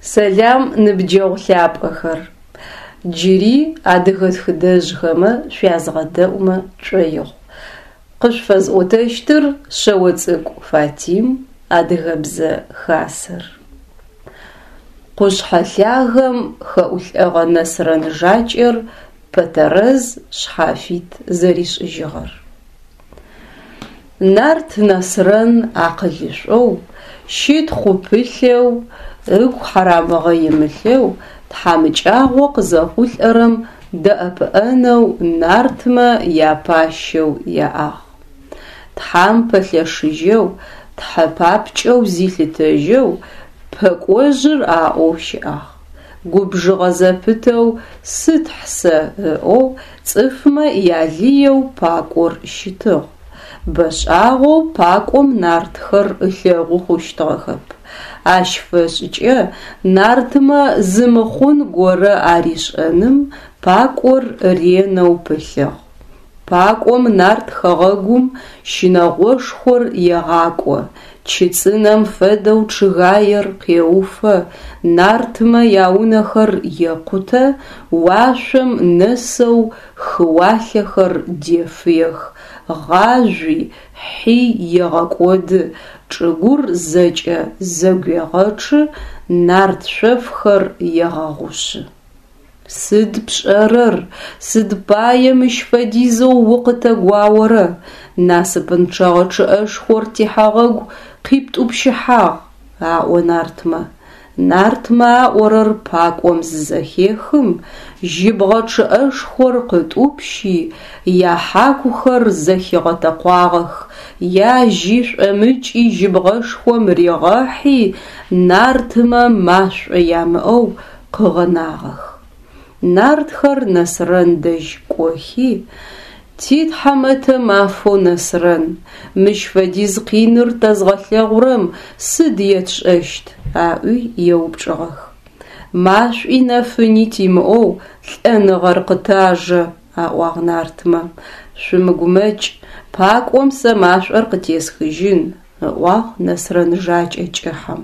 Сэлам, ныбджэгъу лъапӏэхэр! Джыри адыгэ тхыдэжъхэмэ шъуязгъэдэӏумэ тшӏоигъу. Къышъуфэзӏотэщтыр Шъэоцӏыкӏу Фатим, Адыгэбзэ Хасэр. Къушъхьэ лъагэм хэӏулӏэгъэ Нэсрэн Жакӏэр Пэтэрэз шъхьафит зэришӏыжьыгъэр. Нарт Нэсрэн акъылышӏоу, щытхъу пылъэу, ыгу хьарамыгъэ имылъэу, тхьамыкӏагъо къызэхъулӏэрэм дэӏэпыӏэнэу нартмэ япащэу яӏагъ. Тхьам пэлъэшыжьэу, тхьэ папкӏэу зилъытэжьэу Пэкӏожъыр аӏоу щыӏагъ. Губжыгъэ зэпытэу сытхь сэ ыӏоу цӏыфмэ ялыеу Пакӏор щытыгъ. Бэшӏагъэу Пакӏом нартхэр ылъэгъу хъущтыгъэхэп. Ащ фэшӏкӏэ нартмэ зы мыхъун горэ аришӏэным Пакӏор ренэу пылъыгъ. Пакӏом нарт хэгъэгум щынэгъошхор егъакӏо, чы цӏынэм фэдэу чъыгаер къеуфэ, нартмэ яунэхэр екъутэ, уашъом нэсэу хыуалъэхэр дефыех, гъажъуи, хьи егъэкӏоды, чӏыгур зэкӏэ зэгуегъэчъы, нарт шъофхэр егъэгъушъы. Сыд пшӏэрэр, сыд пае мыщ фэдизэу укъытэгуаорэ, насыпынчъэгъэ чъыӏэшхор тихэгъэгу къиптӏупщыхьагъ, аӏо нартмэ. Нартмэ аӏорэр пакӏом зызэхехым, жьыбгъэ чъыӏэшхор къытӏупщи, яхьакухэр зэхигъэтэкъуагъэх, яжьи шӏомыкӏи жьыбгъэшхом ригъэхьи, нартмэ машӏо ямыӏэу къыгъэнагъэх. Нартхэр Нэсрэн дэжь кӏохи, Ти тхьамэтэ мафэу Нэсрэн, мыщ фэдиз къиныр тэзгъэлъэгъурэм сыд етшӏэщт? аӏуи еупчӏыгъэх. Машӏуи нэфыни тимыӏэу лӏэныгъэр къытажэ, аӏуагъ нартмэ. Шъумыгумэкӏ, пакӏом сэ машӏор къытесхыжьын, ыӏуагъ Нэсрэн Жакӏэ кӏыхьэм.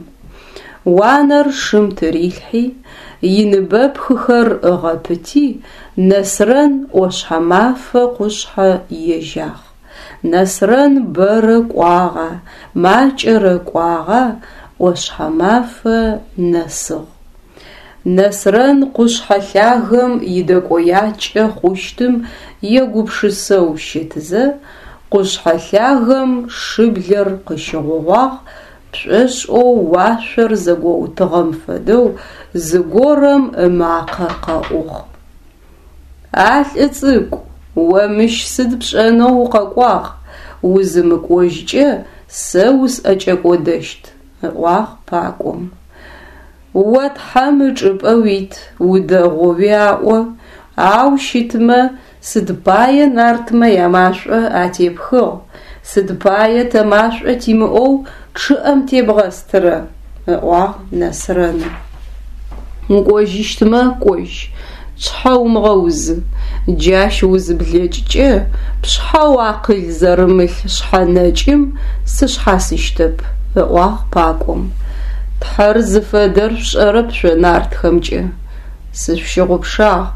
Уанэр шым тырилъхьи, иныбэпхыхэр ыгъэпыти, Нэсрэн ӏошъхьэмафэ къушъхьэ ежьагъ. Нэсрэн бэрэ кӏуагъа, макӏэрэ кӏуагъа, ӏошъхьэмафэ нэсыгъ. Нэсрэн къушъхьэ лъагэм идэкӏоякӏэ хъущтым егупшысэу щытызэ, къушъхьэ лъагэм шыблэр къыщыгъогъуагъ пшӏошӏэу уашъор зэгоутыгъэм фэдэу зыгорэм ымакъэ къэӏугъ. А лӏы цӏыкӏу, о мыщ сыд пшӏэнэу укъэкӏуагъ, узымыкӏожькӏэ сэ усӏэкӏэкӏодэщт, ыӏуагъ пакӏом. О Тхьэм ычӏыпӏэ уит, удэгъоуи аӏо, ау щытмэ, сыд пае нартмэ ямашӏо атепхыгъ, сыд пае тэ машӏо тимыӏэу чъыӏэм тебгъэстырэ? ыӏуагъ Нэсрэным. Укӏожьыщтмэ, кӏожь, пшъхьэ умыгъэузы. Джащ узыблэкӏкӏэ, пшъхьэу акъыл зэрымылъ шъхьэ нэкӏым сышъхьасыщтэп, ыӏуагъ пакӏом. Тхьэр зыфэдэр шъушӏэрэп шъо нартхэмкӏэ. Сышъущыгъупшагъ,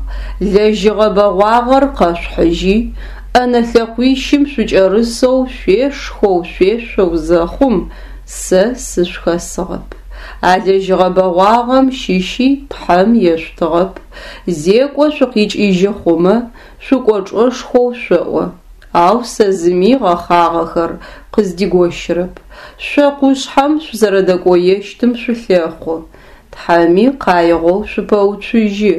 лэжьыгъэ бэгъуагъэр къэшъухьыжьи, ӏэнэ лъэкъуищым шъукӏэрысэу шъуешхэу шъуешъоу зэхъум, сэ сышъухэсыгъэп. А лэжьыгъэ бэгъуагъэм щыщи Тхьэм ешъутыгъэп. Зекӏо шъукъикӏыжьы хъумэ, шъукӏочӏэшхоу шъоӏо. Ау сэ зыми гъэхъагъэхэр къыздигощырэп. Шъо къушъхьэм шъузэрэдэкӏоещтым шъулъэхъу. Тхьэми къаигъэу шъупэуцужьы.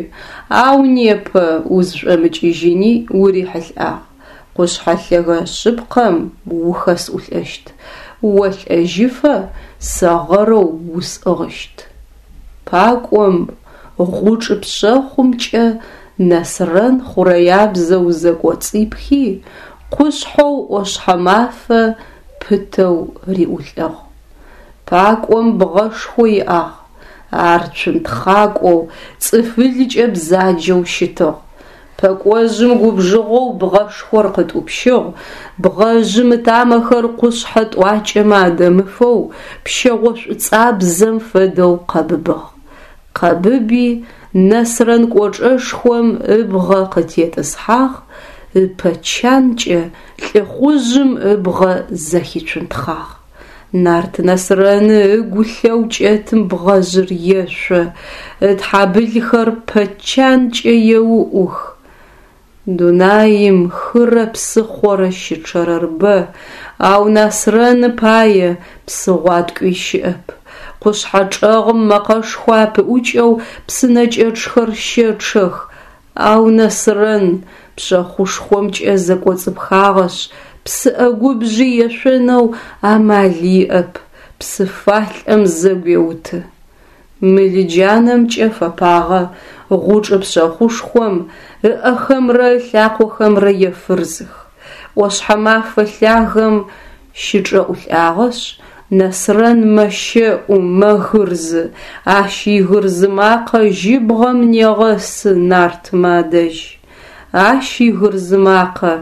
Ау непэ узшӏомыкӏыжьыни урихьылӏагъ. Къушъхьэ лъэгэ шъыпкъэм ухэсӏулӏэщт, олӏэжьыфэ сэ гъэрэу усӏыгъыщт. Пакӏом гъучӏ пшъэхъумкӏэ Нэсрэн хъурэябзэу зэкӏоцӏипхи, къушъхьэу ӏошъхьэмафэ пытэу риӏулӏыгъ. Пакӏом бгъэшхо иӏагъ, ар цунтхъакӏоу, цӏыфылкӏэ бзаджэу щытыгъ. Пэкӏожъым губжыгъэу бгъэшхор къытӏупщыгъ, бгъэжъым ытамэхэр къушъхьэ тӏуакӏэмэ адэмыфэу пщэгъо шӏуцӏабзэм фэдэу къэбыбыгъ. Къэбыби, Нэсрэн Кӏочӏэшхом ыбгъэ къытетӏысхьагъ, ыпэ чанкӏэ лӏыхъужъым ыбгъэ зэхицунтхъагъ. Нарт Нэсрэны ыгу лъэу кӏэтым бгъэжъыр ешъо, ытхьабылхэр пэ чанкӏэ еуӏух. Дунаим хырэ псыхъорэ щычъэрэр бэ, ау Насрэны пае псы гъуаткӏуи щыӏэп. Къушъхьэ чӏэгъым мэкъэшхо апыӏукӏэу псынэкӏэчъхэр щэчъэх, ау Нэсрэн пшъэхъушхомкӏэ зэкӏоцӏыпхагъэшъ, псы ӏэгубжъи ешъонэу амал иӏэп, псы фалӏэм зэгуеуты. Мылыджанэмкӏэ фэпагъэ гъучӏ пшъэхъушхом ыӏэхэмрэ ылъакъохэмрэ ефырзых. ӏошъхьэмафэ лъагэм щычӏэӏулӏагъэшъ, Нэсрэн мэщэӏу, мэгырзы, ащ игырзы макъэ жьыбгъэм негъэсы нартмэ адэжь. Ащ игырзы макъэ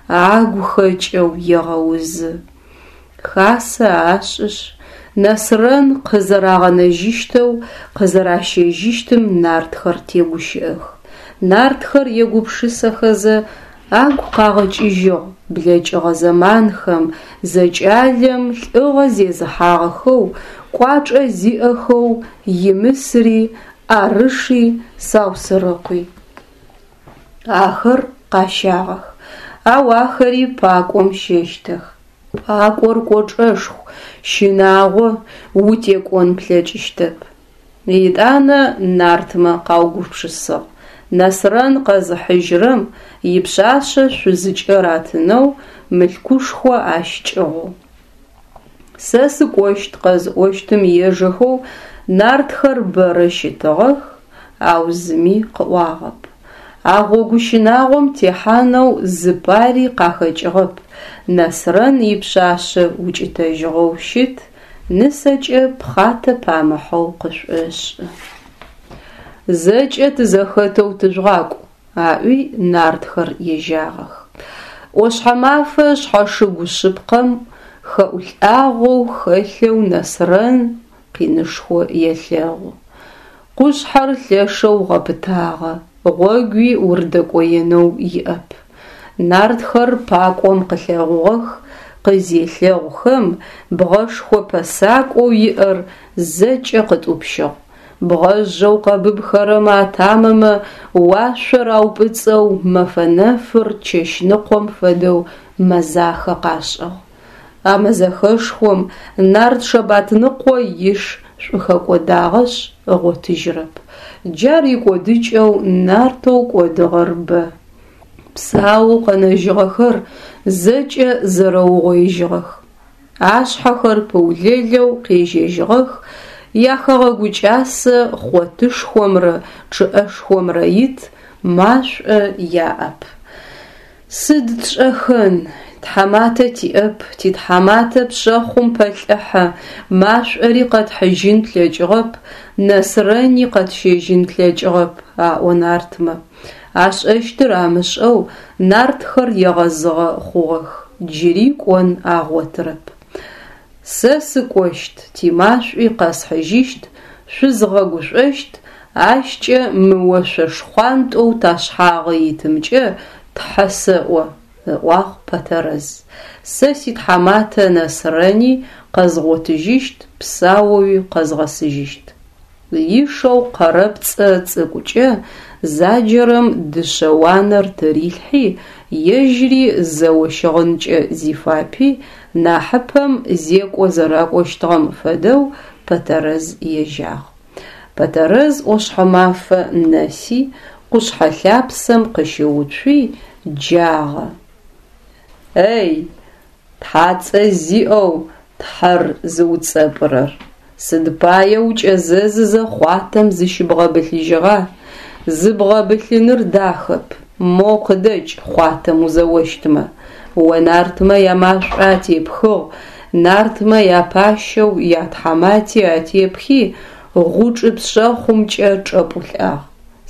агу хэкӏэу егъэузы. Хасэ ашӏышъ, Нэсрэн къызэрагъэнэжьыщтэу, къызэращэжьыщтым нартхэр тегущыӏэх. Нартхэр егупшысэхэзэ, агу къагъэкӏыжьыгъ блэкӏыгъэ зэманхэм зэкӏалэм лӏыгъэ зезыхьагъэхэу, кӏуачӏэ зиӏэхэу Имысри, ӏарыши, Саусырыкъуи. Ахэр къащагъэх, ау ахэри пакӏом щэщтэх. Пакӏор кӏочӏэшху, щынагъо, утекӏон плъэкӏыщтэп. Етӏанэ нартмэ къаугупшысыгъ, Нэсрэн къэзыхьыжьырэм ипшъашъэ шъузыкӏэ ратынэу мылъкушхо ащ кӏыгъоу. Сэ сыкӏощт къэзыӏощтым ежэхэу нартхэр бэрэ щытыгъэх, ау зыми къыӏуагъэп. А гъогу щынагъом техьанэу зыпари къахэкӏыгъэп, Нэсрэн ипшъашъэ укӏытэжьыгъэу щыт, нысэкӏэ пхъатэ памыхьэу къышӏошӏы. Зэкӏэ тызэхэтэу тыжъугъакӏу, аӏуи нартхэр ежьагъэх. ӏошъхьэмафэ шъхьэшыгу шъыпкъэм хэӏулӏагъэу хэлъэу Нэсрэн къинышхо елъэгъу. Къушъхьэр лъэшэу гъэпытагъэ, гъогуи урыдэкӏоенэу иӏэп. Нартхэр пакӏом къылъэгъугъэх, къызелъэгъухэм, бгъэшхо пэсакӏоу иӏэр зэкӏэ къытӏупщыгъ. Бгъэжъэу къэбыбхэрэм атамэмэ уашъор аупӏыцӏэу мэфэ нэфыр чэщныкъом фэдэу мэзахэ къашӏыгъ. А мэзэхэшхом нарт Шэбатныкъо иш шӏухэкӏодагъэшъ ыгъотыжьырэп. Джар икӏодыкӏэу нартэу кӏодыгъэр бэ. Псаоу къэнэжьыгъэхэр зэкӏэ зэрэугъоижьыгъэх. Ашъхьэхэр пыулэлэу къежьэжьыгъэх, яхэгъэгу кӏасэ хъотышхомрэ чъыӏэшхомрэ ит, машӏо яӏэп. Сыд тшӏэхэн, тхьаматэ тиӏэп, титхьаматэ пшъэхъум пэлӏыхьэ, машӏори къэтхьыжьын тлъэкӏыгъэп, Нэсрэни къэтщэжьын тлъэкӏыгъэп, аӏо нартмэ. Ашӏэщтыр амышӏэу нартхэр егъэзыгъэ хъугъэх, джыри кӏон агъотырэп. Сэ сыкӏощт, тимашӏуи къэсхьыжьыщт, шъузгъэгушӏощт, ащкӏэ мы ошъо шхъуантӏэу ташъхьагъы итымкӏэ тхьэ сэӏо, ыӏуагъ Пэтэрэз. Сэ ситхьаматэ Нэсрэни къэзгъотыжьыщт, псаоуи къэзгъэсыжьыщт. Ишэу къэрэпцӏэ цӏыкӏукӏэ заджэрэм дышъэ уанэр тырилъхьи, ежьри зэо щыгъынкӏэ зифапи, нахьыпэм зекӏо зэракӏощтыгъэм фэдэу Пэтэрэз ежьагъ. Пэтэрэз ӏошъхьэмафэ нэси, къушъхьэ лъапсэм къыщыуцуи, джагъэ. Эй, Тхьацӏэ зиӏэу Тхьэр зыуцӏэпӏырэр, сыд пае укӏэзэзызэ хъуатэм зыщыбгъэбылъыжьыгъа? Зыбгъэбылъыныр дахэп, моу къыдэкӏ хъуатэм узэощтмэ. О нартмэ ямашӏо атепхыгъ, нартмэ япащэу ятхьамати атепхи, гъучӏы пшъэхъумкӏэ чӏэпӏулӏагъ.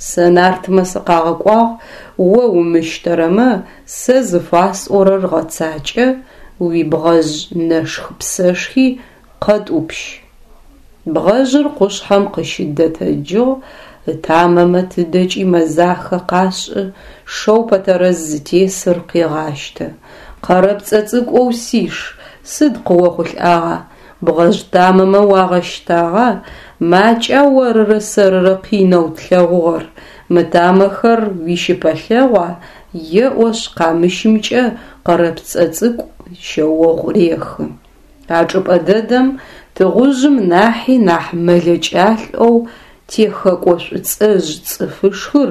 Сэ нартмэ сыкъагъэкӏуагъ, о умыщтэрэмэ, сэ зыфасӏорэр гъэцакӏэ, уибгъэжъ нэшх-псэшхи къэтӏупщ. Бгъэжъыр къушъхьэм къыщыдэтэджыгъ, ытамэмэ тыдэкӏи мэзахэ къашӏы, шэу Пэтэрэз зытесыр къегъащтэ. Къэрэпцӏэ цӏыкӏоу сиш, сыд къыохъулӏагъа, бгъэжъ тамэмэ уагъэщтагъа, макӏа орырэ сэрырэ къинэу тлъэгъугъэр, мы тамэхэр уищыпэлъэгъуа? еӏошъ къамыщымкӏэ Къэрэпцӏэ цӏыкӏу шъэогъу рехы. А чӏыпӏэ дэдэм тыгъужъым нахьи нахь мэлэкӏалӏэу техэкӏо шӏуцӏэжъ цӏыфышхыр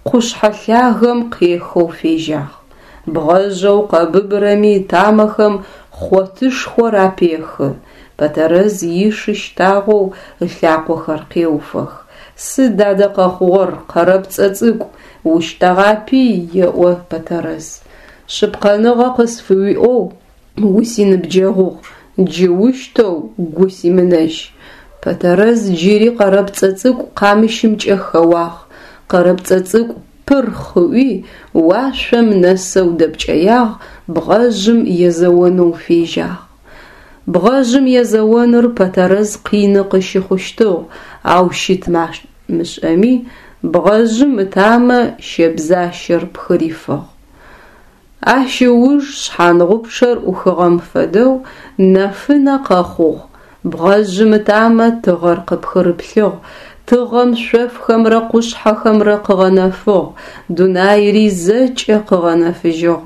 къушъхьэ лъагэм къехэу фежьагъ. Бгъэжъэу къэбыбырэми ытамэхэм хъотышхор апехы, Пэтэрэз ишы щтагъэу ылъакъохэр къеуфэх. Сыд адэ къэхъугъэр, Къэрэпцӏэ цӏыкӏу, ущтэгъапи, еӏо Пэтэрэз. Шъыпкъэныгъэ къысфыуиӏоу Усиныбджэгъугъ, джы ущтэу гу симынэжь. Пэтэрэз джыри Къэрэпцӏэ цӏыкӏу къамыщымкӏэ хэуагъ. Къэрэпцӏэ цӏыкӏу пырхъ ыӏуи, уашъом нэсэу дэпкӏэягъ, бгъэжъым езэонэу фежьагъ. Бгъэжъым езэоныр Пэтэрэз къины къыщыхъущтыгъ, ау щыт нахь мышӏэми, бгъэжъым ытамэ щэбзащэр пхырифыгъ. Ащ ыуж шъхьангъупчъэр ӏухыгъэм фэдэу нэфынэ къэхъугъ, бгъэжъым ытамэ тыгъэр къыпхырыплъыгъ, тыгъэм шъофхэмрэ къушъхьэхэмрэ къыгъэнэфыгъ, дунаири зэкӏэ къыгъэнэфыжьыгъ.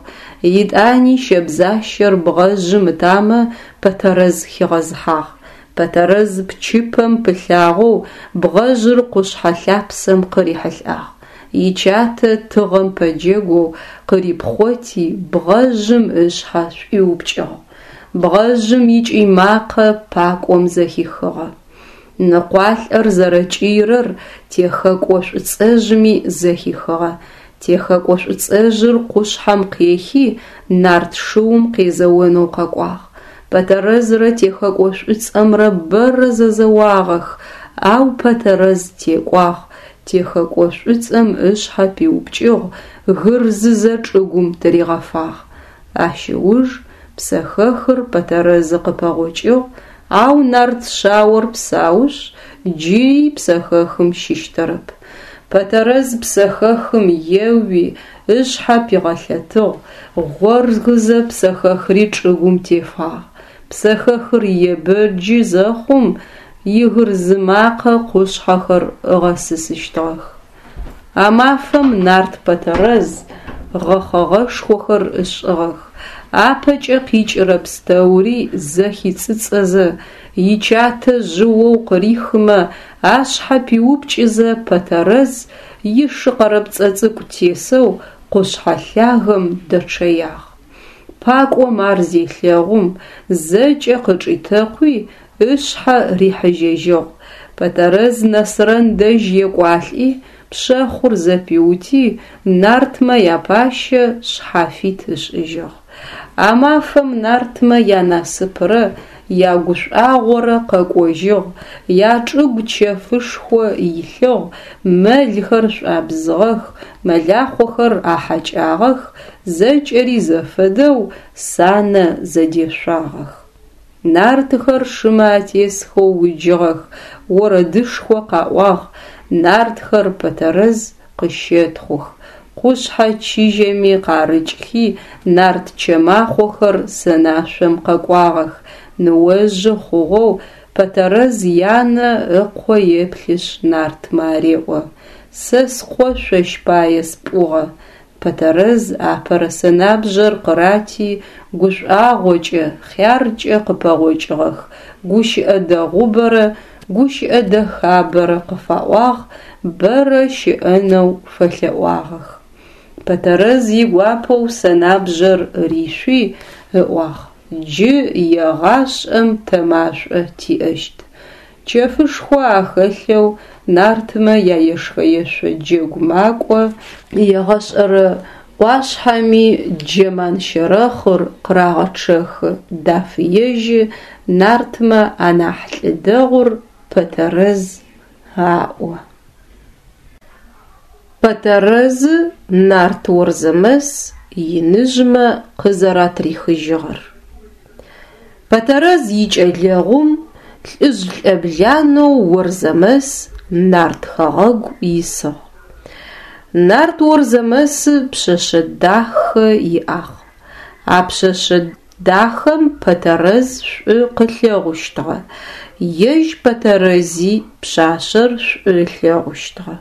Етӏани щэбзащэр бгъэжъым ытамэ Пэтэрэз хигъэзыхьагъ. Пэтэрэз пчыпэм пылъагъэу бгъэжъыр къушъхьэ лъапсэм къырихьылӏагъ. Ичатэ тыгъэм пэджэгоу къырипхъоти, бгъэжъым ышъхьэ шӏуиупкӏыгъ. Бгъэжъым икӏый макъэ пакӏом зэхихыгъэ. Ныкъуалӏэр зэрэкӏыйрэр техэкӏо шӏуцӏэжъми зэхихыгъэ. Техэкӏо шӏуцӏэжъыр къушъхьэм къехи, нарт шыум къезэонэу къэкӏуагъ. Пэтэрэзрэ техэкӏо шӏуцӏэмрэ бэрэ зэзэуагъэх, ау Пэтэрэз текӏуагъ, Техэкӏо шӏуцӏэм ышъхьэ пиупкӏыгъ, гырзызэ чӏыгум тыригъэфагъ. Ащ ыуж псэхэхыр Пэтэрэзы къыпэгъокӏыгъ, ау нарт шъаор псаушъ, джыри псэхэхым щыщтэрэп. Пэтэрэз псэхэхым еуи, ышъхьэ пигъэлъэтыгъ, гъоргызэ псэхэхри чӏыгум тефагъ. Псэхэхыр ебэджы зэхъум, игырзы макъэ къушъхьэхэр ыгъэсысыщтыгъэх. А мафэм нарт Пэтэрэз гъэхъэгъэшхохэр ышӏыгъэх, апэкӏэ къикӏырэ пстэури зэхицӏыцӏэзэ, ичатэ жъыоу къырихымэ ашъхьэ пиупкӏызэ Пэтэрэз ишы къэрэпцӏэ цӏыкӏу тесэу къушъхьэ лъагэм дэчъэягъ. Пакӏом ар зелъэгъум, зэкӏэ къычӏитэкъуи, ышъхьэ рихьыжьэжьыгъ. Пэтэрэз Нэсрэн дэжь екӏуалӏи, пшъэхъур зэпиути, нартмэ япащэ шъхьафит ышӏыжьыгъ. А мафэм нартмэ янасыпрэ ягушӏуагъорэ къэкӏожьыгъ, ячӏыгу чэфышхо илъыгъ, мэлхэр шӏуабзыгъэх, мэлахъохэр ахьакӏагъэх, Зэкӏэри зэфэдэу санэ зэдешъуагъэх. Нартхэр шымэ атесхэу уджыгъэх, орэдышхо къаӏуагъ, нартхэр Пэтэрэз къыщэтхъух, къушъхьэ чыжьэми къарыкӏхи нарт чэмахъохэр сэнашъом къэкӏуагъэх, ныожъы хъугъэу Пэтэрэз янэ ыкъо еплъышъ нартмэ ареӏо, Сэ скъо шъощ пае спӏугъэ, Пэтэрэз апэрэ сэнабжъэр къырати, гушӏуагъокӏэ, хъяркӏэ къыпэгъокӏыгъэх, гущыӏэ дэгъубэрэ гущыӏэ дэхабэрэ къыфаӏуагъ, бэрэ щыӏэнэу фэлъэӏуагъэх. Пэтэрэз игуапэу сэнабжъэр ришъуи, ыӏуагъ, Джы егъашӏэм тэ машӏо тиӏэщт. Чэфышхо ахэлъэу нартмэ яешхэ-ешъо джэгу макӏо, егъэшӏэрэ ӏуашъхьэми Джэман-щэрэхъыр къырагъэчъэхы, дафыежьы, нартмэ анахь лӏы дэгъур Пэтэрэз аӏо. Пэтэрэзы нарт Орзэмэс иныжъмэ къызэратрихыжьыгъэр. Пэтэрэз икӏэлэгъум Лӏыжъ лӏэбланэу Орзэмэс нарт хэгъэгу исыгъ. Нарт Орзэмэсы пшъэшъэ дахэ иӏагъ. А пшъэшъэ дахэм Пэтэрэз шӏу къылъэгъущтыгъэ, ежь Пэтэрэзи пшъашъэр шӏу ылъэгъущтыгъэ.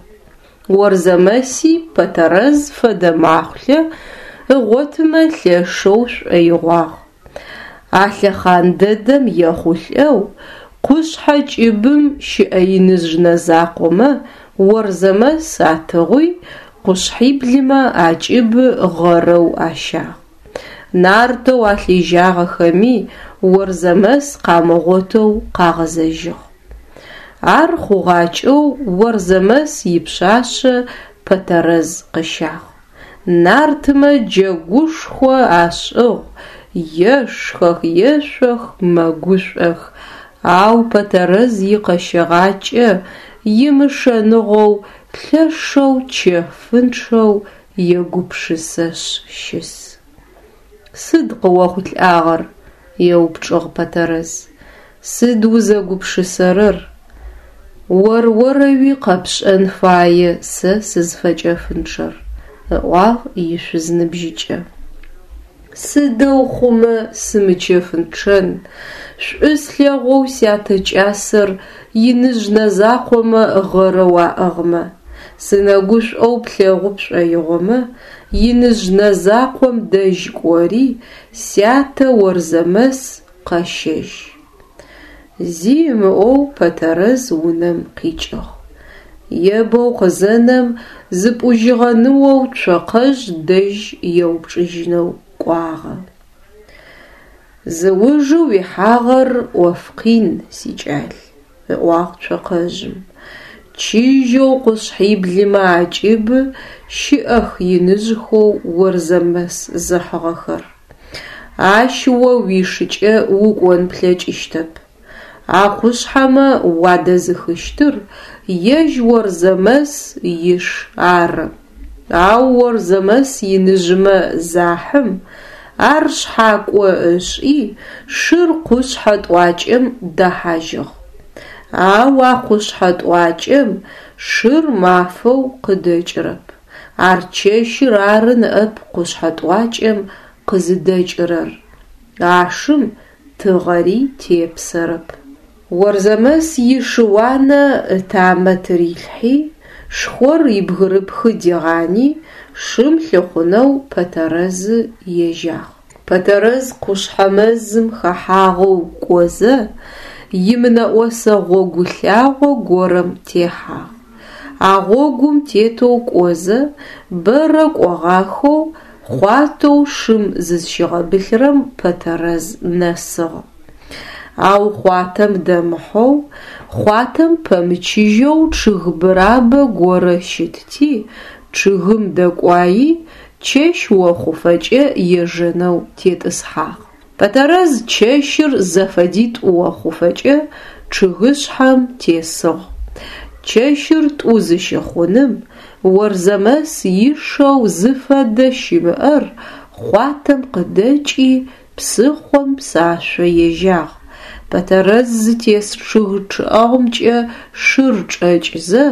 Орзэмэси Пэтэрэз фэдэ махъулъэ ыгъотымэ лъэшэу шӏоигъуагъ. А лъэхъан дэдэм ехъулӏэу къушъхьэ кӏыбым щыӏэ иныжъ нэзакъомэ Орзэмэс атыгъуи, къушъхьиблымэ акӏыбы гъэрэу ащагъ. Нартэу алъежьагъэхэми Орзэмэс къамыгъотэу къагъэзэжьыгъ. Ар хъугъакӏэу Орзэмэс ипшъашъэ Пэтэрэз къыщагъ. Нартмэ джэгушхо ашӏыгъ, ешхэх, ешъох, мэгушӏох, ау Пэтэрэз икъэщэгъакӏэ имышэныгъэу лъэшэу чэфынчъэу егупшысэшъ щыс. Сыд къыохъулӏагъэр? еупчӏыгъ Пэтэрэз. Сыд узэгупшысэрэр? Ор-орэуи къэпшӏэн фае сэ сызфэчэфынчъэр, ыӏуагъ ишъуз ныбжьыкӏэ. Сыдэу хъумэ сымычэфынчъэн, шӏу слъэгъоу сятэ кӏасэр иныжъ нэзакъомэ гъэрэу аӏыгъмэ. Сынэгушӏоу плъэгъу пшӏоигъомэ, иныжъ нэзакъом дэжь кӏори, сятэ Орзэмэс къэщэжь. Зи ымыӏоу Пэтэрэз унэм къикӏыгъ. Ебэу къызэнэм, зыпӏужьыгъэ ныоу Цокъэжъ дэжь еупчӏыжьынэу кӏуагъэ. Зыужы уихьагъэр ӏоф къин, сикӏал, ыӏуагъ Цокъэжъым. Чыжьэу къушъхьиблымэ акӏыбы щыӏэх иныжъхэу Орзэмэс зыхьыгъэхэр. Ащ о уишыкӏэ укӏон плъэкӏыщтэп. А къушъхьэмэ уадэзыхыщтыр ежь Орзэмэс иш ары. Ау Орзэмэс иныжъмэ захьым, ар шъхьакӏо ышӏи, шыр къушъхьэ тӏуакӏэм дэхьажьыгъ. Ау а къушъхьэ тӏуакӏэм шыр мафэу къыдэкӏырэп. Ар чэщыр ары ныӏэп къушъхьэ тӏуакӏэм къызыдэкӏырэр. А шым тыгъэри тепсэрэп. Орзэмэс ишы-уанэ ытамэ тырилъхьи, шхор ибгырыпхы дигъани, шым лъыхъунэу Пэтэрэзы ежьагъ. Пэтэрэз къушъхьэ мэзым хэхьагъэу кӏозэ, имынэӏосэ гъогу лъагъо горэм техьагъ. А гъогум тетэу кӏозэ, бэрэ кӏогъахэу, хъуатэу шым зызщигъэбылъырэм Пэтэрэз нэсыгъ. Ау хъуатэм дэмыхьэу, хъуатэм пэмычыжьэу чъыг бырабэ горэ щытти, чъыгым дэкӏуаи, чэщ охъуфэкӏэ ежэнэу тетӏысхьагъ. Пэтэрэз чэщыр зэфэдитӏу охъуфэкӏэ чъыгышъхьэм тесыгъ. Чэщыр тӏу зыщыхъуным, Орзэмэс ишэу зыфэдэ щымыӏэр хъуатэм къыдэкӏи, псыхъом псашъо ежьагъ. Пэтэрэз зытес чъыг чӏэгъымкӏэ шыр чӏэкӏызэ,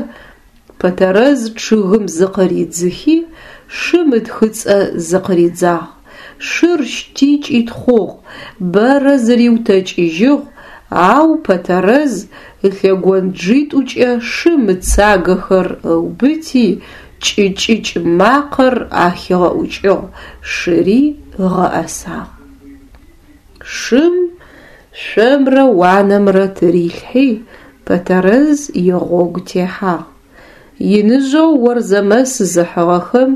Пэтэрэз чъыгым зыкъыридзыхи, шым ытхыцӏэ зыкъыридзагъ. Шыр щти кӏитхъугъ, бэрэ зыриутэкӏыжьыгъ, ау Пэтэрэз ылъэгонджитӏукӏэ шым ыцагэхэр ыубыти, кӏы-кӏыкӏ макъэр ахигъэӏукӏыгъ, шыри ыгъэӏэсагъ. Шым шъомрэ уанэмрэ тырилъхьи, Пэтэрэз игъогу техьагъ. Иныжъэу Орзэмэс зыхьыгъэхэм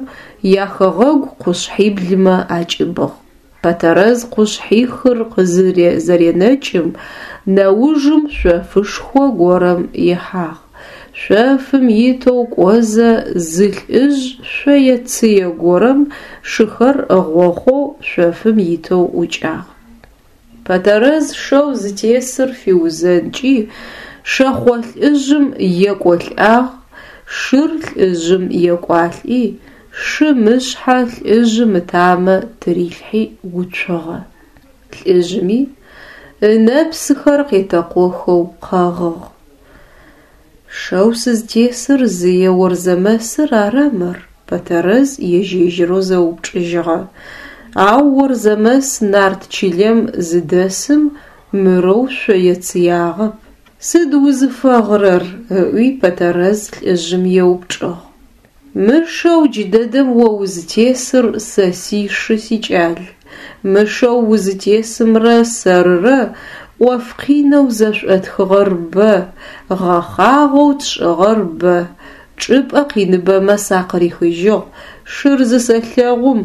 яхэгъэгу къушъхьиблымэ акӏыбыгъ. Пэтэрэз къушъхьихыр къызызэренэкӏым, нэужым шъофышхо горэм ихьагъ. Шъофым итэу кӏозэ зы лӏыжъ шъое-цые горэм шыхэр ыгъохъоу шъофым итэу ӏукӏагъ. Пэтэрэз шэу зытесыр фиузэнкӏи, шэхъо лӏыжъым екӏолӏагъ, шыр лӏыжъым екӏуалӏи, шым ышъхьэ лӏыжъым ытамэ тырилъхьи уцугъэ. Лӏыжъыми. ынэпсыхэр къетэкъохэу къэгъыгъ. Шэу сызтесыр зые Орзэмэсыр ара мыр? Пэтэрэз ежь-ежьырэу зэупчӏыжьыгъэ. Ау Орзэмэс нарт чылэм зыдэсым мырэу шъое-цыягъэп. Сыд узыфэгъырэр? ыӏуи Пэтэрэз лӏыжъым еупчӏыгъ. Мы шэу джыдэдэм о узытесыр сэ сишы, сикӏал. Мы шэу узытесымрэ сэрырэ ӏоф къинэу зэшӏотхыгъэр бэ, гъэхъагъэу тшӏыгъэр бэ, чӏыпӏэ къиныбэмэ сакъырихыжьыгъ, шыр зысэлъэгъум,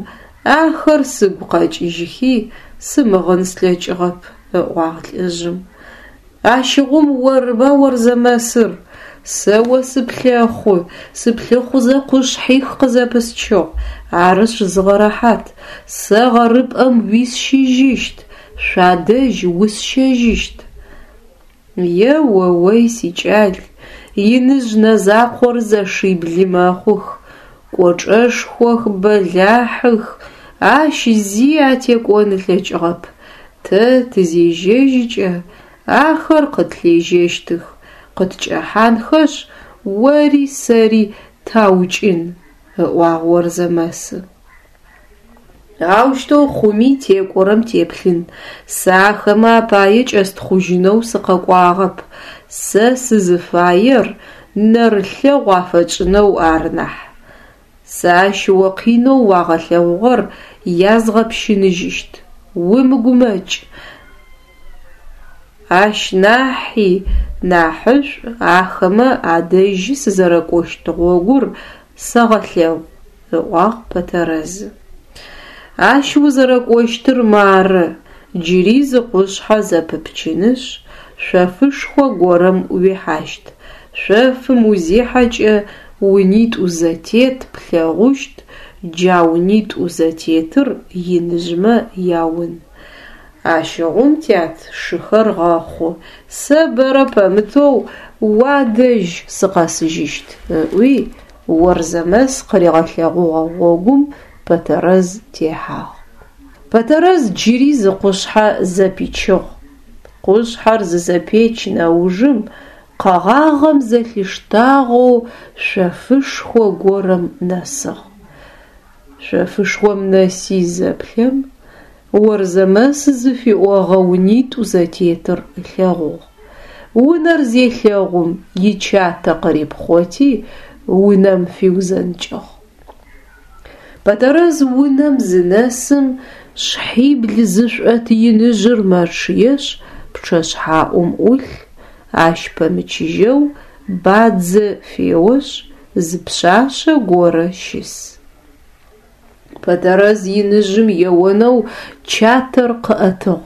ахэр сыгу къэкӏыжьыхи, сымыгъын слъэкӏыгъэп, ыӏуагъ лӏыжъым. Ащыгъум орыба Орзэмэсыр? Сэ о сыплъэхъу, сыплъыхъузэ къушъхьих къызэпысчыгъ, арышъ зыгъэрэхьат, сэ гъэрыпӏэм уисщыжьыщт, шъуадэжь усщэжьыщт. Е-о-ой, сикӏал, иныжъ нэзакъор зэшибли мэхъух, кӏочӏэшхох, бэлахьых, ащ зи атекӏон ылъэкӏыгъэп. Тэ тызежьэжькӏэ, ахэр къытлъежьэщтых, къыткӏэхьанхэшъ, ори сэри таукӏын, ыӏуагъ Орзэмэсы. Аущтэу хъуми текӏорэм теплъын, сэ ахэмэ апае кӏэстхъужьынэу сыкъэкӏуагъэп, сэ сызыфаер нэрылъэгъу афэтшӏынэу ары нахь. Сэ ащ о къинэу уагъэлъэгъугъэр язгъэпщыныжьыщт, умыгумэкӏ. Ащ нахьи нахьышӏу ахэмэ адэжьы сызэрэкӏощт гъогур сэгъэлъэгъу, ыӏуагъ Пэтэрэзы. Ащ узэрэкӏощтыр мары, джыри зы къушъхьэ зэпыпчынышъ, шъофышхо горэм уихьащт. Шъофым узихьэкӏэ унитӏу зэтет плъэгъущт, джа унитӏу зэтетыр иныжъмэ яун. Ащыгъум, тят, шыхэр гъэхъу, сэ бэрэ пэмытэу уадэжь сыкъэсыжьыщт, ыӏуи, Орзэмэс къыригъэлъэгъугъэ гъогум Пэтэрэз техьагъ. Пэтэрэз джыри зы къушъхьэ зэпичыгъ. Къушъхьэр зызэпеч нэужым къэгъагъэм зэлъиштагъэу шъофышхо горэм нэсыгъ. Шъофышхом нэси зэплъэм, Орзэмэс зыфиӏогъэ унитӏу зэтетыр ылъэгъугъ. Унэр зелъэгъум, ичатэ къырипхъоти, унэм фиузэнкӏыгъ. Пэтэрэз унэм зынэсым, шъхьибл зышӏот иныжъыр мэчъыешъ, пчъэшъхьаӏум ӏулъ, ащ пэмычыжьэу бадзэ феошъ, зы пшъашъэ горэ щыс. Пэтэрэз иныжъым еонэу чатэр къыӏэтыгъ.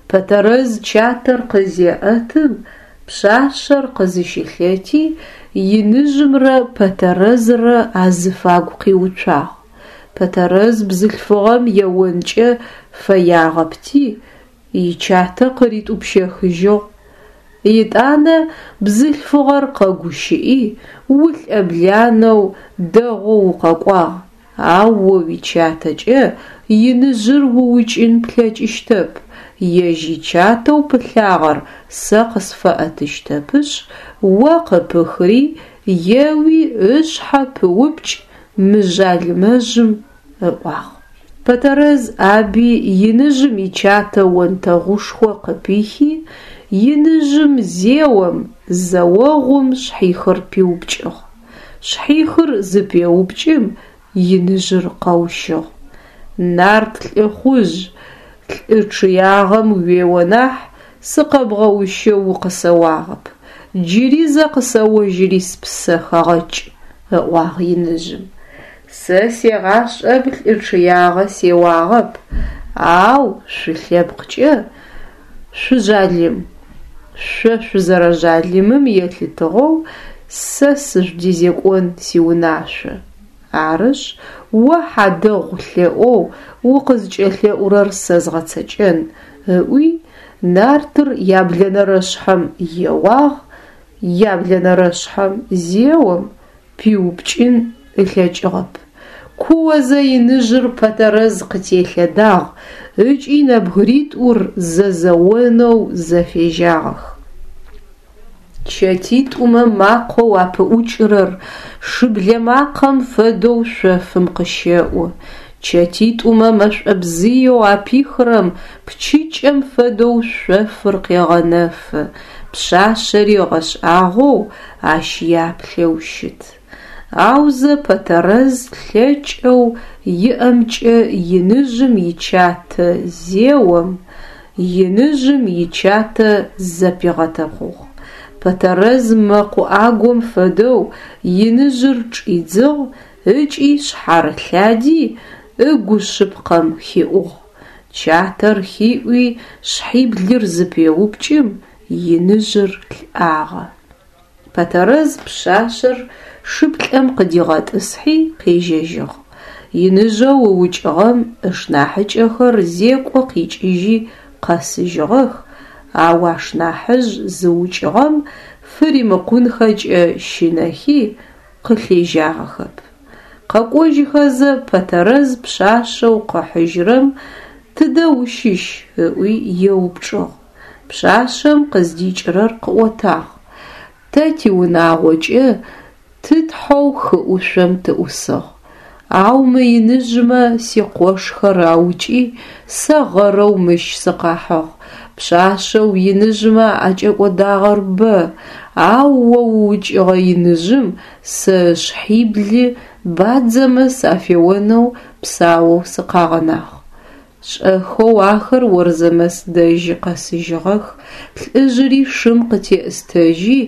Пэтэрэз чатэр къызеӏэтым, пшъашъэр къызыщылъэти, иныжъымрэ Пэтэрэзрэ азыфагу къиуцуагъ. Пэтэрэз бзылъфыгъэм еонкӏэ фэягъэпти, ичатэ къыритӏупщэхыжьыгъ. Етӏанэ бзылъфыгъэр къэгущыӏи, улӏэбланэу дэгъоу укъэкӏуагъ, ау о уичатэкӏэ иныжъыр уукӏын плъэкӏыщтэп, ежь ичатэу пылъагъэр сэ къысфэӏэтыщтэпышъ, о къыпыхри, еуи ышъхьэ пыупкӏ мы жъалымэжъым, ыӏуагъ. Пэтэрэз ӏаби иныжъым ичатэ онтэгъушхо къыпихи, иныжъым зеом, зэогъум шъхьихыр пиупкӏыгъ. Шъхьихыр зыпеупкӏым, иныжъыр къэущыгъ. Нарт лӏыхъужъ, лӏы чъыягъэм уео нахь, сыкъэбгъэущэу укъысэуагъэп. Джыри зэ къысэожьыри спсэ хэгъэкӏ, ыӏуагъ иныжъым. Сэ сегъашӏэм лӏы чъыягъэ сеуагъэп, ау шъулъэпкъкӏэ шъужъалым. Шъо шъузэрэжъалымым елъытыгъэу сэ сыжъудезекӏон сиунашъо. Арышъ, о хьадэгъу лъэӏоу укъызкӏэлъэӏурэр сэ згъэцэкӏэн, ыӏуи, нартыр яблэнэрэшъхьэм еуагъ, яблэнэрэшъхьэм зеом, пиупкӏын ылъэкӏыгъэп. Куозэ иныжъыр Пэтэрэз къытелъэдагъ ыкӏи нэбгыритӏур зэзэонэу зэфежьагъэх. Чэтитӏумэ макъэу апыӏукӏырэр шыблэ макъэм фэдэу шъофым къыщэӏу. Чэтитӏумэ мэшӏобзыеу апихырэм пчыкӏэм фэдэу шъофыр къегъэнэфы, пшъашъэри ыгъэшӏагъоу ащ яплъэу щыт. Аузэ Пэтэрэз лъэкӏэу иӏэмкӏэ иныжъым ичатэ зеом, иныжъым ичатэ зэпигъэтэкъугъ. Пэтэрэз мэкъу ӏагом фэдэу иныжъыр чӏидзыгъ ыкӏи шъхьарылъади, ыгу шъыпкъэм хиӏугъ. Чатэр хиӏуи шъхьиблыр зыпеупкӏым, иныжъыр лӏагъэ. Пэтэрэз пшъашъэр шыплӏэм къыдигъэтӏысхьи къежьэжьыгъ. Иныжъэу ыукӏыгъэм ышнахьыкӏэхэр зекӏо къикӏыжьи къэсыжьыгъэх, ау ашнахьыжъ зыукӏыгъэм фыримыкъунхэкӏэ щынэхи, къылъежьагъэхэп. Къэкӏожьыхэзэ Пэтэрэз пшъашъэу къыхьыжьырэм тыдэ ущыщ ыӏуи еупчӏыгъ. Пшъашъэм къыздикӏырэр къыӏотагъ. Тэ тиунагъокӏэ тытхьэу хы ӏушъом тыӏусыгъ. Ау мы иныжъмэ сикъошхэр аукӏи, сэ гъэрэу мыщ сыкъахьыгъ. Пшъашъэу иныжъмэ аӏэкӏэкӏодагъэр бэ, ау о уукӏыгъэ иныжъым сэ ышъхьибли бадзэмэ сафеонэу псаоу сыкъагъэнагъ. Шӏэхэу ахэр Орзэмэс дэжьы къэсыжьыгъэх, лӏыжъыри шым къытеӏыстэжьи,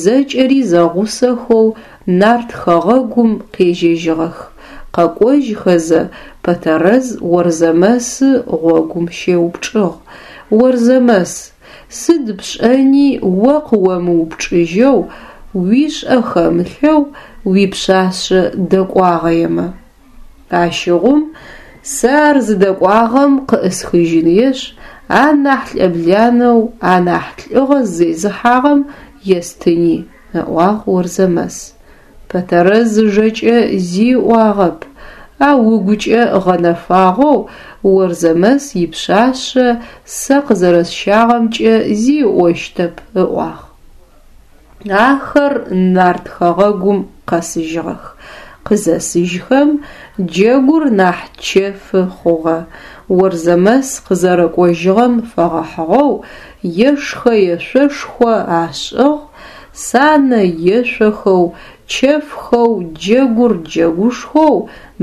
зэкӏэри зэгъусэхэу нарт хэгъэгум къежьэжьыгъэх. Къэкӏожьхэзэ, Пэтэрэз Орзэмэсы гъогум щеупчӏыгъ: Орзэмэс, сыд пшӏэни о къыомыупчӏыжьэу, уишӏэ хэмылъэу уипшъашъэ дэкӏуагъэемэ? Ащыгъум сэ ар зыдэкӏуагъэм къыӏысхыжьыныешъ, анахь лӏэбланэу, анахь лӏыгъэ зезыхьагъэм естыни, ыӏуагъ Орзэмэс. Пэтэрэз ыжэкӏэ зи ыӏуагъэп, ау ыгукӏэ гъэнэфагъэу Орзэмэс ипшъашъэ сэ къызэрэсщагъэмкӏэ зи ыӏощтэп, ыӏуагъ. Ахэр нарт хэгъэгум къэсыжьыгъэх. Къызэсыжьхэм, джэгур нахь чэфы хъугъэ. Орзэмэс къызэрэкӏожьыгъэм фэгъэхьыгъэу ешхэ-ешъошхо ашӏыгъ, санэ ешъохэу, чэфхэу, джэгур джэгушхоу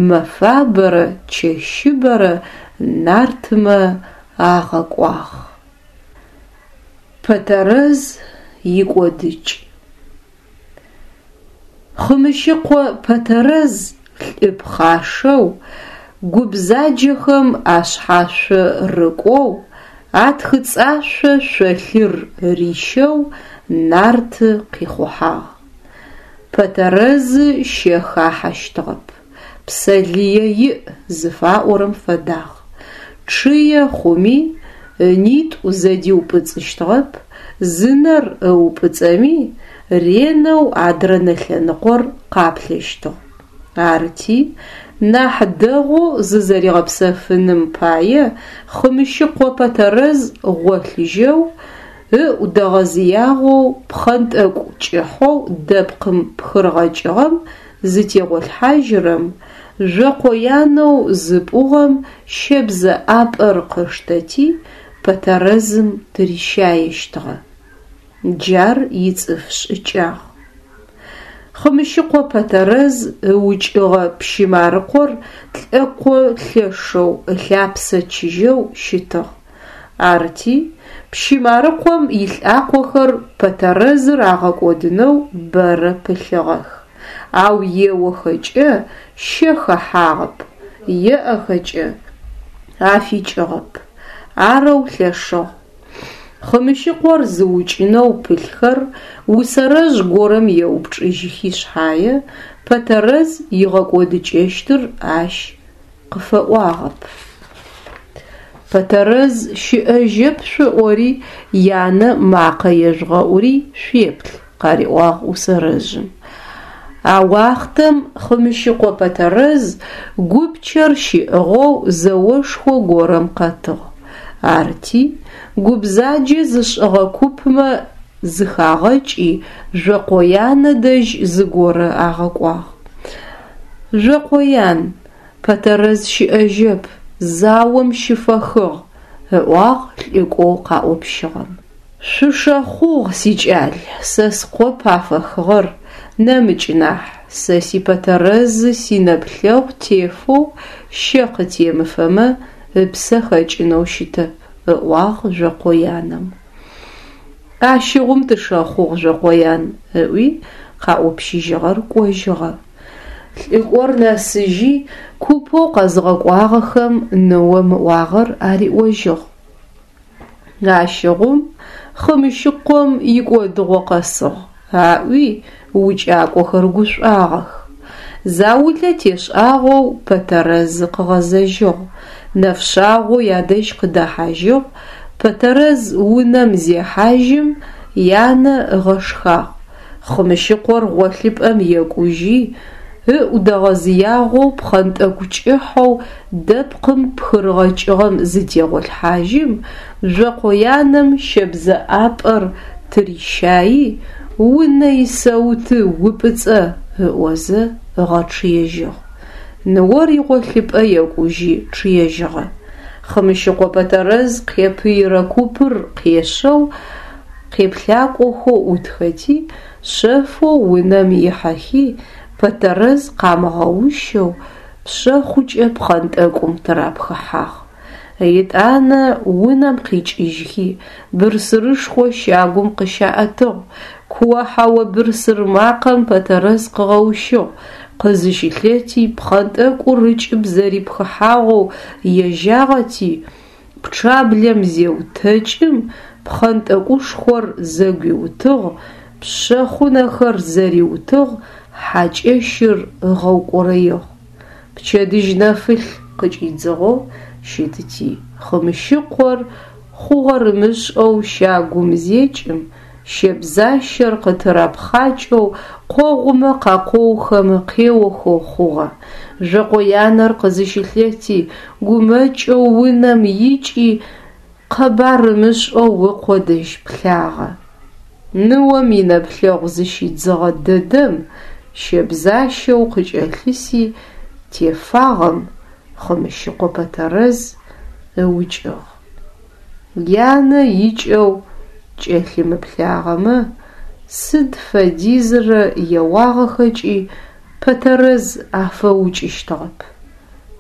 мэфабэрэ чэщыбэрэ нартмэ агъэкӏуагъ. Пэтэрэз икӏодыкӏ. Хъымыщыкъо Пэтэрэз лӏы пхъашэу, гу бзаджэхэм ашъхьашъо рыкӏоу, атхыцӏашъо шъолъыр рищэу нарты къихъухьагъ. Пэтэрэзы щэ хахьэщтыгъэп, псэ лые иӏ зыфаӏорэм фэдагъ. Чъые хъуми, ынитӏу зэдиупӏыцӏыщтыгъэп, зы нэр ыупӏыцӏэми, ренэу адрэ нэ лъэныкъор къаплъэщтыгъ. Арыти, нахь дэгъоу зызэригъэпсэфыным пае Хъымыщыкъо Пэтэрэз гъолъыжьэу, ыӏу дэгъэзыягъэу пхъэнтӏэкӏу кӏыхьэу дэпкъым пхырыгъэкӏыгъэм зытегъолъхьажьырэм, жъокъоянэу зыпӏугъэм щэбзэ ӏапӏэр къыштэти, Пэтэрэзым тырищаещтыгъэ. Джар ицӏыф шӏыкӏагъ. Хъымыщыкъо Пэтэрэз ыукӏыгъэ пщы Марыкъор лӏэкъо лъэшэу, ылъапсэ чыжьэу щытыгъ. Арыти, пщы Марыкъом илӏакъохэр Пэтэрэзыр агъэкӏодынэу бэрэ пылъыгъэх. Ау еохэкӏэ щэ хэхьагъэп, еӏэхэкӏэ афикӏыгъэп. Арэу лъэшыгъ. Хъымыщыкъор зыукӏынэу пылъхэр усэрэжъ горэм еупчӏыжьыхи шъхьае, Пэтэрэз игъэкӏодыкӏэщтыр ащ къыфэӏуагъэп. Пэтэрэз щыӏэжьэп шъуӏори, янэ макъэ ежъугъэӏури шъуеплъ, къариӏуагъ усэрэжъым. А уахътэм Хъымыщыкъо Пэтэрэз гупчэр щиӏыгъэу зэошхо горэм къэтыгъ. Арти, гу бзаджэ зышӏыгъэ купмэ зыхагъэкӏи, Жъокъоянэ дэжь зыгорэ агъэкӏуагъ. Жъокъоян, Пэтэрэз щыӏэжьэп, заом щыфэхыгъ, ыӏуагъ лӏыкӏоу къаӏопщыгъэм. Шъушэхъугъ, сикӏал, сэ скъоп афэхыгъэр, нэмыкӏ нахь, сэ си Пэтэрэзы синэплъэгъу тефэу щэ къытемыфэмэ, ыпсэ хэкӏынэу щытэп, ыӏуагъ Жъокъоянэм. Ащыгъум тышэхъугъ, Жъокъоян, ыӏуи, къаӏопщыжьыгъэр кӏожьыгъэ. Лӏыкӏор нэсыжьи, купэу къэзыгъэкӏуагъэхэм ныом ыӏуагъэр ариӏожьыгъ. Ащыгъум Хъымыщыкъом икӏодыгъо къэсыгъ, аӏуи укӏакӏохэр гушӏуагъэх. Заулэ тешӏагъэу Пэтэрэзы къыгъэзэжьыгъ. Нэфшъагъоу ядэжь къыдэхьажьыгъ, Пэтэрэз унэм зехьажьым, янэ ыгъэшхагъ. Хъымыщыкъор гъолъыпӏэм екӏужьи, ыӏу дэгъэзыягъэу пхъэнтӏэкӏу кӏыхьэу дэпкъым пхырыгъэкӏыгъэм зытегъолъхьажьым, Жъокъоянэм щэбзэ ӏапӏэр тырищаи, унэ исэуты упӏыцӏэ ыӏозэ ыгъэчъыежьыгъ. Ныор игъолъыпӏэ екӏужьи чъыежьыгъэ. Хъымыщыкъо Пэтэрэз къепыирэ купыр къешэу, Къеплъакӏохэу ӏутхэти, шъэфэу унэм ихьэхи, Пэтэрэз къамыгъэущэу, пшъэхъукӏэ пхъэнтӏэкӏум тырапхыхьагъ. Етӏанэ унэм къикӏыжьхи, бырсырышхо щагум къыщаӏэтыгъ. Куо-хьэо бырсыр макъэм Пэтэрэз къыгъэущыгъ. Къызыщылъэти, пхъэнтӏэкӏур ыкӏыб зэрипхыхьагъэу ежьагъэти, Пчъаблэм зеутэкӏым, пхъэнтӏэкӏушхор зэгуиутыгъ, пшъэхъунэхэр зэриутыгъ, хьакӏэщыр ыгъэукӏорэигъ. Пчэдыжь нэфылъ къыкӏидзыгъэу щытыти, Хъымыщыкъор хъугъэр ымышӏэу щагум зекӏым, Щэбзащэр къытырапхъакӏэу къогъумэ къакъоухэмэ къеохэу хъугъэ. Жъокъоянэр къызыщылъэти, гумэкӏэу унэм икӏи, къэбар ымышӏэу ыкъо дэжь плъагъэ. Ныом инэплъэгъу зыщидзыгъэ дэдэм щэбзащэу къыкӏэлъыси тефагъэм Хъымыщыкъо Пэтэрэз ыукӏыгъ. Янэ икӏэу кӏэлъымыплъагъэмэ, сыд фэдизрэ еуагъэхэкӏи Пэтэрэз афэукӏыщтыгъэп.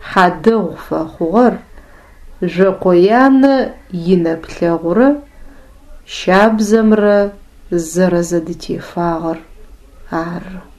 Хьадэгъу фэхъугъэр Жъокъоянэ инэплъэгъурэ щабзэмрэ зэрэзэдытефагъэр ары.